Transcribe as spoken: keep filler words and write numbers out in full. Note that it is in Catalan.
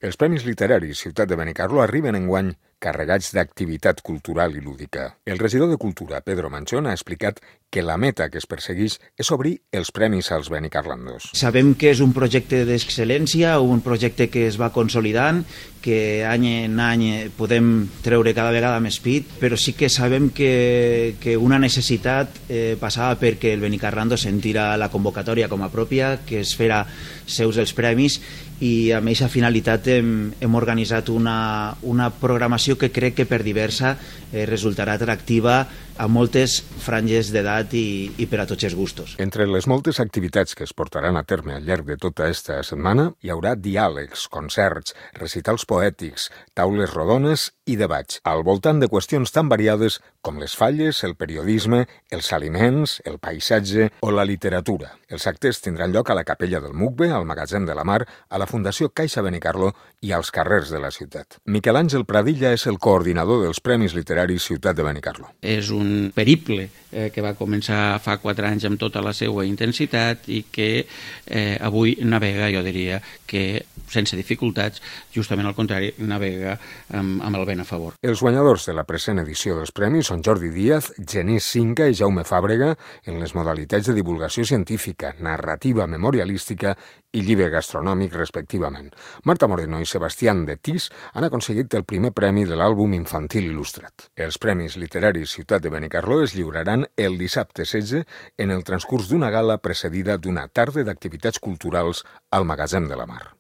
Els Premis Literaris Ciutat de Benicarló arriben enguany carregats d'activitat cultural i lúdica. El regidor de Cultura, Pedro Manchón, ha explicat que la meta que es persegueix és obrir els premis als benicarlandos. Sabem que és un projecte d'excel·lència, un projecte que es va consolidant, que any en any podem treure cada vegada més pit, però sí que sabem que, que una necessitat eh, passava perquè el Benicarlando sentira la convocatòria com a pròpia, que es fera seus els premis, i amb aquesta finalitat hem, hem organitzat una, una programació que crec que per diversa eh, resultarà atractiva a moltes franges d'edat i, i per a tots els gustos. Entre les moltes activitats que es portaran a terme al llarg de tota aquesta setmana hi haurà diàlegs, concerts, recitals poètics, taules rodones i debats, al voltant de qüestions tan variades com les falles, el periodisme, els aliments, el paisatge o la literatura. Els actes tindran lloc a la Capella del Mucbe, al Magatzem de la Mar, a la Fundació Caixa Benicarló i als carrers de la ciutat. Miquel Àngel Pradilla és el coordinador dels Premis Literaris Ciutat de Benicarló. És un periple eh, que va començar fa quatre anys amb tota la seva intensitat i que eh, avui navega, jo diria, que sense dificultats, justament al contrari, navega amb, amb el vent a favor. Els guanyadors de la present edició dels premis són Jordi Díaz, Genís Cinca i Jaume Fàbrega en les modalitats de divulgació científica, narrativa memorialística i llibre gastronòmic, respectivament. Marta Moreno i Sebastián de Tis han aconseguit el primer premi de l'àlbum infantil il·lustrat. Els Premis Literaris Ciutat de Benicarló es lliuraran el dissabte setze en el transcurs d'una gala precedida d'una tarda d'activitats culturals al Magatzem de la Mar.